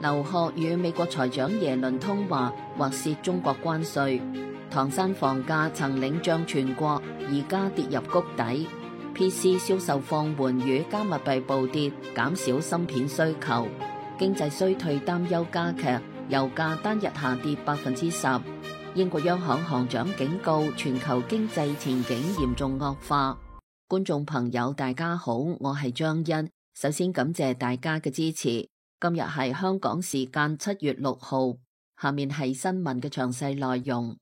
劉鶴與美國財長耶倫通話，或涉中國關稅。唐山房價曾領漲全國，而家跌入谷底。PC 銷售放緩與加密幣暴跌，減少芯片需求。經濟衰退擔憂加劇，油價單日下跌10%。英國央行行長警告，全球經濟前景嚴重惡化。觀眾朋友大家好，我係張欣，首先感謝大家嘅支持。今日係香港時間7月6號，下面係新聞嘅詳細內容。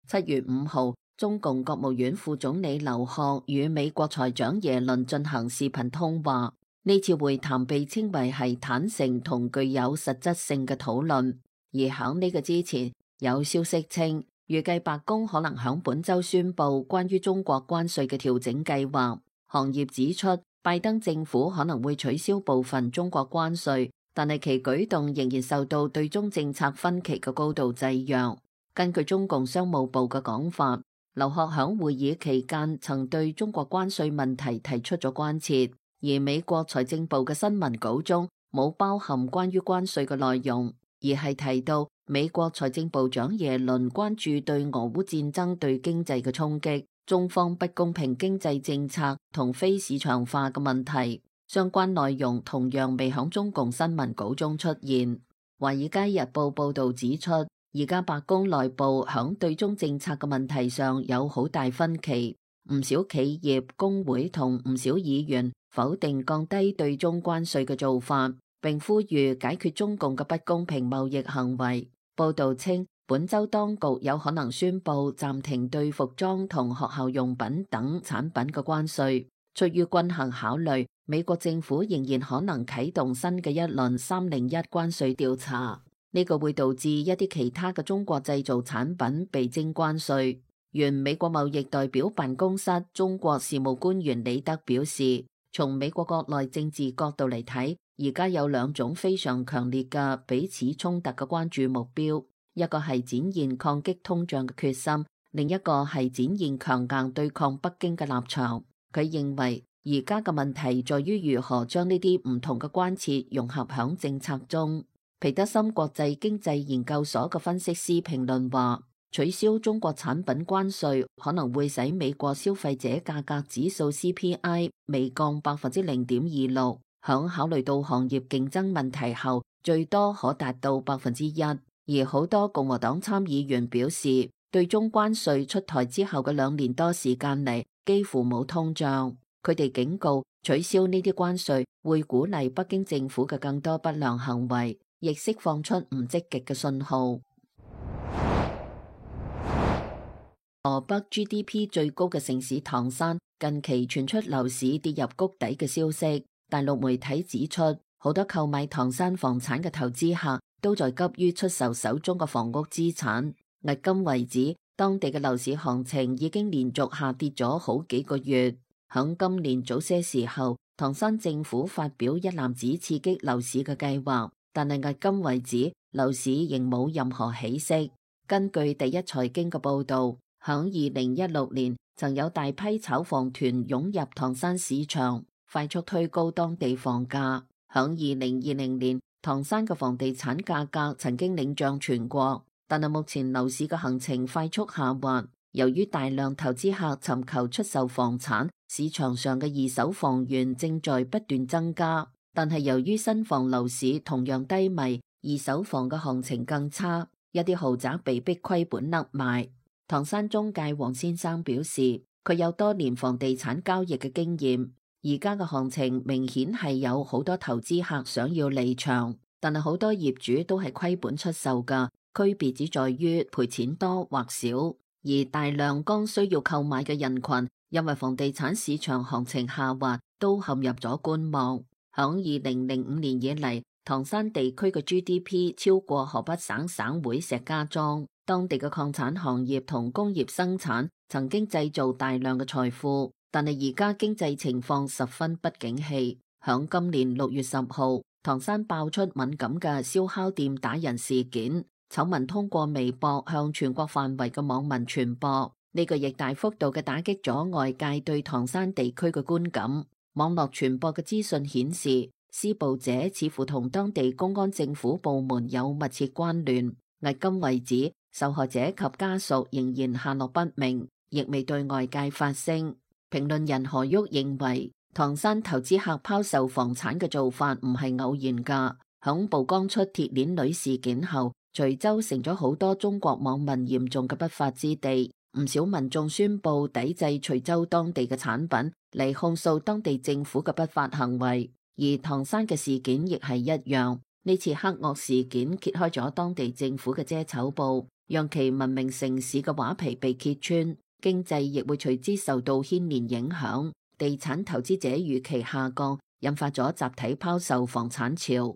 7月5號，中共國務院副總理劉鶴與美國財長耶倫進行視頻通話。呢次會談被稱為係坦誠同具有實質性嘅討論。而響呢個之前，有消息稱，預計白宮可能響本周宣布關於中國關稅嘅調整計劃。行業指出，拜登政府可能會取消部分中國關稅，但係其舉動仍然受到對中政策分歧嘅高度制約。根據中共商務部嘅講法，劉鶴響會議期間曾對中國關稅問題提出咗關切，而美國財政部嘅新聞稿中冇包含關於關稅嘅內容，而係提到美國財政部長耶倫關注對俄烏戰爭對經濟嘅衝擊，中方不公平經濟政策同非市場化嘅問題，相關內容同樣未響中共新聞稿中出現。華爾街日報報道指出，而家白宮內部響對中政策嘅問題上有好大分歧，唔少企業、工會同唔少議員否定降低對中關稅嘅做法，並呼籲解決中共嘅不公平貿易行為。報道稱，本周當局有可能宣布暫停對服裝同學校用品等產品嘅關稅。出於均衡考慮，美國政府仍然可能啟動新嘅一輪301關稅調查。呢個會導致一啲其他嘅中國製造產品被徵關稅。原美國貿易代表辦公室中國事務官員李德表示，從美國國內政治角度嚟睇，而家有兩種非常強烈嘅彼此衝突嘅關注目標。一個係展現抗擊通脹嘅決心，另一個係展現強硬對抗北京嘅立場。佢認為而家嘅問題在於如何將呢啲唔同嘅關切融合響政策中。皮德森國際經濟研究所嘅分析師評論話，取消中國產品關稅可能會使美國消費者價格指數 CPI 微降0.26%，響考慮到行業競爭問題後，最多可達到1%。而好多共和黨參議員表示，對中關稅出台之後嘅2年多時間嚟，幾乎冇通脹。佢哋警告，取消呢啲關稅會鼓勵北京政府嘅更多不良行為，亦釋放出唔積極嘅信號。河北 GDP 最高嘅城市唐山近期傳出樓市跌入谷底嘅消息，大陸媒體指出，好多購買唐山房產嘅投資客都在急於出售手中嘅房屋資產。迄今為止，當地嘅樓市行情已經連續下跌咗好幾個月。響今年早些時候，唐山政府發表一籃子刺激樓市嘅計劃，但係迄今為止，樓市仍冇任何起色。根據第一財經嘅報道，響2016年曾有大批炒房團湧入唐山市場，快速推高當地房價。響2020年，唐山嘅房地產價格曾經領漲全國，但係目前樓市嘅行情快速下滑。由於大量投資客尋求出售房產，市場上嘅二手房源正在不斷增加。但係由於新房樓市同樣低迷，二手房嘅行情更差，一啲豪宅被逼虧本甩賣。唐山中介黃先生表示，佢有多年房地產交易嘅經驗。而家嘅行情明顯係有好多投資客想要離場，但係好多業主都係虧本出售㗎，區別只在於賠錢多或少。而大量剛需要購買嘅人群，因為房地產市場行情下滑，都陷入咗觀望。響2005年以嚟，唐山地區嘅 GDP 超過河北省省會石家莊，當地嘅礦產行業同工業生產曾經製造大量嘅財富。但係而家經濟情況十分不景氣。響今年6月10號，唐山爆出敏感嘅燒烤店打人事件，醜聞通過微博向全國範圍嘅網民傳播。呢個亦大幅度嘅打擊咗外界對唐山地區嘅觀感。網絡傳播嘅資訊顯示，施暴者似乎同當地公安政府部門有密切關聯。迄今為止，受害者及家屬仍然下落不明，亦未對外界發聲。評論人何旭認為，唐山投資客拋售房產嘅做法唔係偶然㗎。響曝光出鐵鏈女事件後，徐州成咗好多中國網民嚴重嘅不法之地，唔少民眾宣布抵制徐州當地嘅產品，嚟控訴當地政府嘅不法行為。而唐山嘅事件亦係一樣，呢次黑惡事件揭開咗當地政府嘅遮醜布，讓其文明城市嘅畫皮被揭穿，經濟亦會隨之受到牽連影響，地產投資者預期下降，引發咗集體拋售房產潮。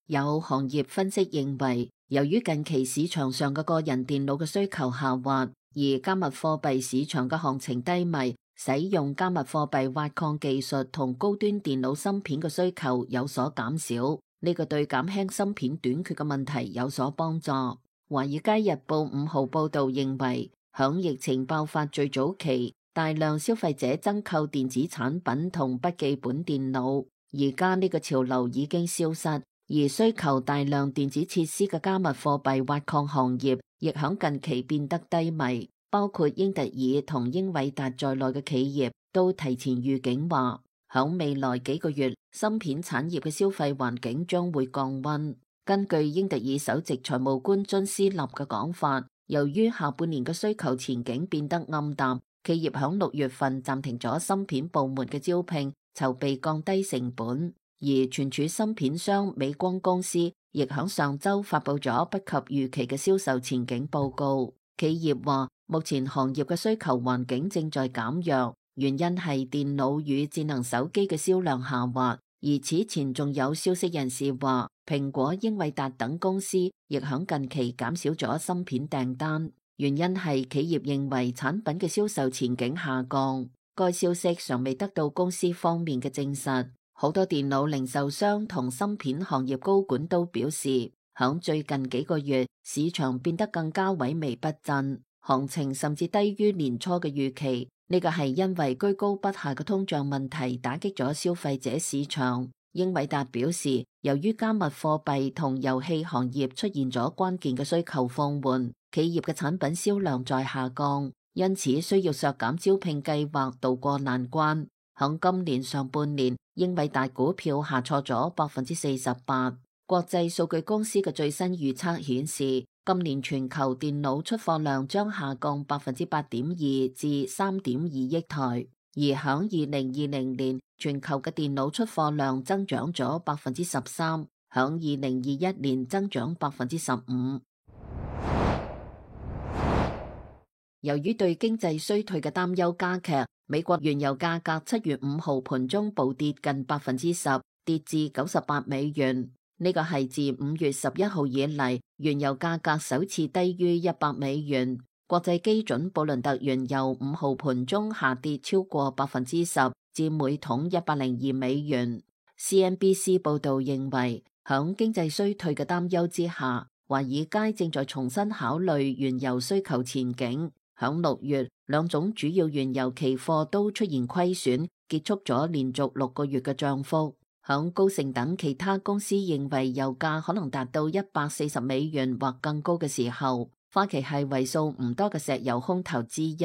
有行業分析認為，由於近期市場上嘅個人電腦嘅需求下滑，而加密貨幣市場嘅行情低迷，使用加密貨幣挖礦技術同高端電腦芯片嘅需求有所減少，呢個對減輕芯片短缺嘅問題有所幫助。華爾街日報5號報道認為，響疫情爆發最早期，大量消費者增購電子產品同筆記本電腦，而家呢個潮流已經消失，而需求大量電子設施嘅加密貨幣挖礦行業亦響近期變得低迷，包括英特爾同英偉達在內嘅企業都提前預警話，響未來幾個月，芯片產業嘅消費環境將會降溫。根據英特爾首席財務官津斯納嘅講法，由於下半年嘅需求前景變得暗淡，企業響6月份暫停咗芯片部門嘅招聘，籌備降低成本。而存儲芯片商美光公司亦響上周發佈咗不及預期嘅銷售前景報告。企業話，目前行業嘅需求環境正在減弱，原因係電腦與智能手機嘅銷量下滑。而此前仲有消息人士話，蘋果、英偉達等公司亦響近期減少咗芯片訂單，原因係企業認為產品嘅銷售前景下降。該消息尚未得到公司方面嘅證實。好多電腦零售商同芯片行業高管都表示，響最近幾個月，市場變得更加萎靡不振，行情甚至低於年初嘅預期。呢個係因為居高不下嘅通脹問題打擊咗消費者市場。英偉達表示，由於加密貨幣同遊戲行業出現咗關鍵嘅需求放緩，企業嘅產品銷量在下降，因此需要削減招聘計劃渡過難關。響今年上半年，英偉達股票下挫咗48%。國際數據公司嘅最新預測顯示，今年全球電腦出貨量將下降8.2%至3.2億台，而響2020年，全球嘅電腦出貨量增長咗13%，響2021年增長15%。由於對經濟衰退嘅擔憂加劇，美國原油價格7月5號盤中暴跌近10%，跌至$98。呢個係自5月11號以嚟，原油價格首次低於$100。國際基準布倫特原油5號盤中下跌超過10%，至每桶$102。CNBC 報道認為，響經濟衰退嘅擔憂之下，華爾街正在重新考慮原油需求前景。響6月，兩種主要原油期貨都出現虧損，結束咗連續6個月嘅漲幅。響高盛等其他公司認為油價可能達到$140或更高嘅時候，花旗係為數唔多嘅石油空頭之一。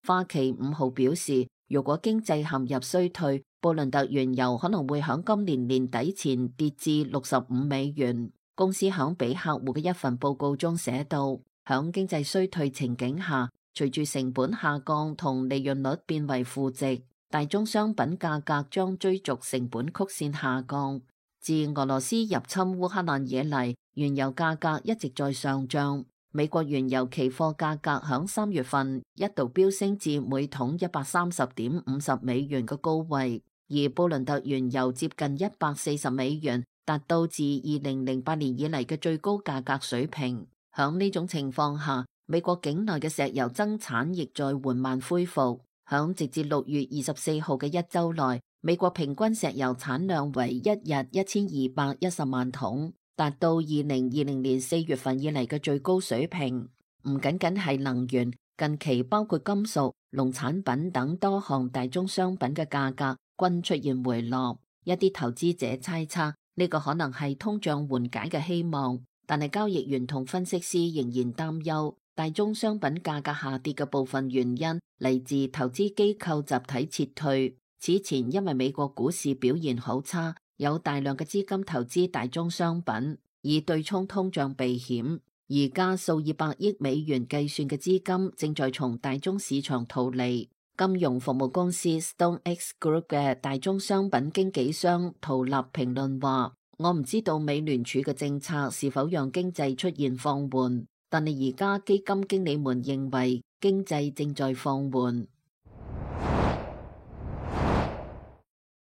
花旗5號表示，如果經濟陷入衰退，布倫特原油可能會響今年年底前跌至$65。公司響俾客戶嘅一份報告中寫道，響經濟衰退情景下，隨住成本下降同利潤率變為負值，大宗商品價格將追逐成本曲線下降。自俄羅斯入侵烏克蘭以嚟，原油價格一直在上漲。美國原油期貨價格響3月份一度飆升至每桶$130.50嘅高位，而布倫特原油接近$140，達到自2008年以嚟嘅最高價格水平。響呢種情況下，美國境內嘅石油增產亦在緩慢恢復。響直至6月24號嘅一周內，美國平均石油產量為一日1210萬桶，達到2020年4月份以嚟嘅最高水平。唔僅僅係能源，近期包括金屬、農產品等多項大宗商品嘅價格均出現回落。一啲投資者猜測呢個可能係通脹緩解嘅希望，但係交易員同分析師仍然擔憂大宗商品價格下跌嘅部分原因嚟自投資機構集體撤退。此前因為美國股市表現好差，有大量嘅資金投資大宗商品，以對沖通脹避險。而家數以百億美元計算嘅資金正在從大宗市場逃離。金融服務公司 StoneX Group 嘅大宗商品經紀商陶立評論話：我唔知道美聯儲嘅政策是否讓經濟出現放緩，但係而家基金經理們認為經濟正在放緩。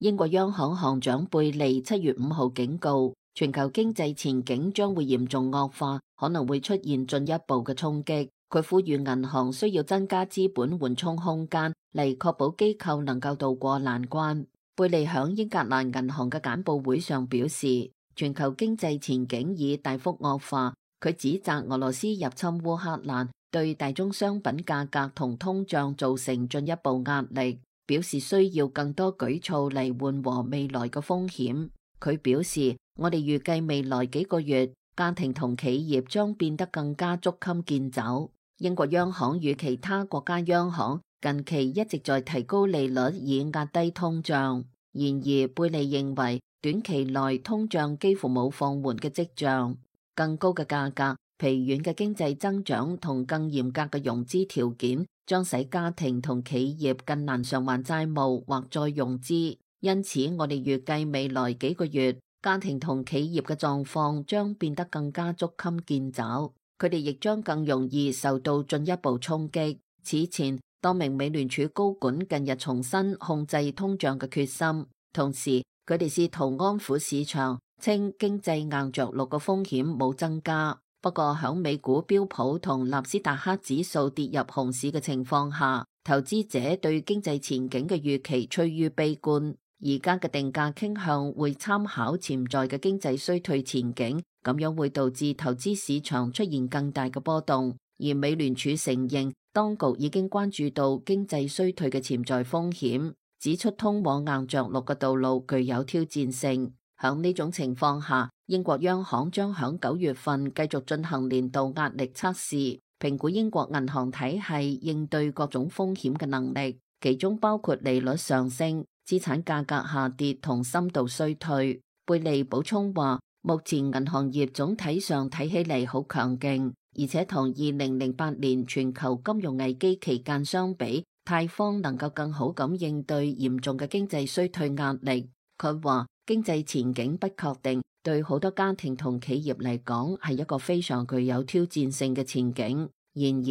英國央行行長貝利7月5號警告，全球經濟前景將會嚴重惡化，可能會出現進一步嘅衝擊。佢呼籲銀行需要增加資本緩衝空間，嚟確保機構能夠渡過難關。貝利響英格蘭銀行嘅簡報會上表示，全球經濟前景已大幅惡化。佢指責俄羅斯入侵烏克蘭對大宗商品價格同通脹造成進一步壓力，表示需要更多舉措嚟緩和未來嘅風險。佢表示，我哋預計未來幾個月，家庭同企業將變得更加捉襟見肘。英國央行與其他國家央行近期一直在提高利率以壓低通脹。然而，貝利認為短期內通脹幾乎冇放緩嘅跡象。更高嘅價格、疲軟嘅經濟增長同更嚴格嘅融資條件，將使家庭同企業更難償還債務或再融資。因此，我哋預計未來幾個月，家庭同企業嘅狀況將變得更加捉襟見肘。佢哋亦將更容易受到進一步衝擊。此前，多名美聯儲高管近日重申控制通脹嘅決心，同時佢哋試圖安撫市場，稱經濟硬着陸嘅風險冇增加。不過響美股標普同納斯達克指數跌入熊市嘅情況下，投資者對經濟前景嘅預期趨於悲觀。而家嘅定價傾向會參考潛在嘅經濟衰退前景，咁樣會導致投資市場出現更大嘅波動。而美聯儲承認，當局已經關注到經濟衰退嘅潛在風險，指出通往硬着陸嘅道路具有挑戰性。響呢種情況下，英國央行將響9月份繼續進行年度壓力測試，評估英國銀行體系應對各種風險嘅能力，其中包括利率上升、資產價格下跌同深度衰退。貝利補充話，目前銀行業總體上睇起嚟好強勁，而且同2008年全球金融危機期間相比，泰方能夠更好咁應對嚴重嘅經濟衰退壓力。佢話經濟前景不確定，對好多家庭同企業嚟講係一個非常具有挑戰性嘅前景。然而，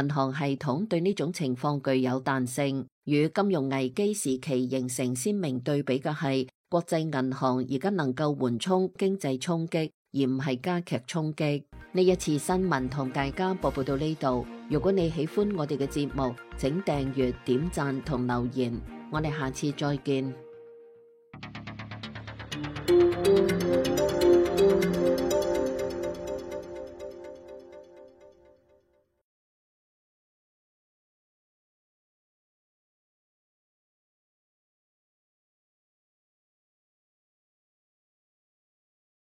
銀行系統對呢種情況具有彈性。與金融危機時期形成鮮明對比嘅係，國際銀行而家能夠緩衝經濟衝擊，而唔係加劇衝擊。呢一次新聞同大家播報到呢度。如果你喜歡我哋嘅節目，請訂閱、點讚同留言。我哋下次再見。